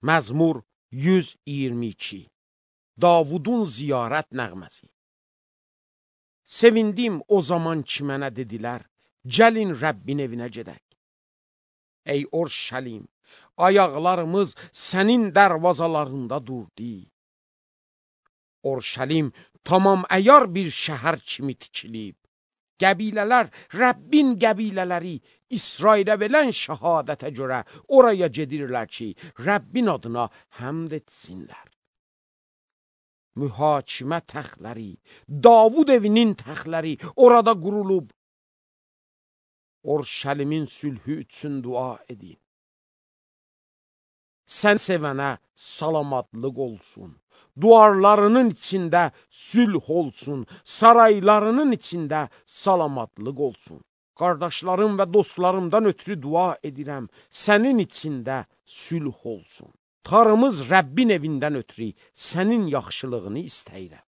Məzmur 122. Davudun ziyarət nəğməsi. Sevindim o zaman ki mənə dedilər, gəlin Rəbbin evinə gedək. Ey Orşəlim, ayaqlarımız sənin dərvazalarında durdu. Orşəlim tamam əyar bir şəhər kimi tikilib. Qəbilələr, Rəbbin qəbilələri İsrailə verən şəhadətə görə oraya gedirlər ki, Rəbbin adına həmd etsinlər. Mühakimə təxtləri, Davud evinin təxtləri orada qurulub. Orşəlimin sülhü üçün dua edin. Sən sevənə salamadlıq olsun. Duvarlarının içində sülh olsun, saraylarının içində salamadlıq olsun. Qardaşlarım və dostlarımdan ötürü dua edirəm, sənin içində sülh olsun. Tarımız Rəbbin evindən ötürü sənin yaxşılığını istəyirəm.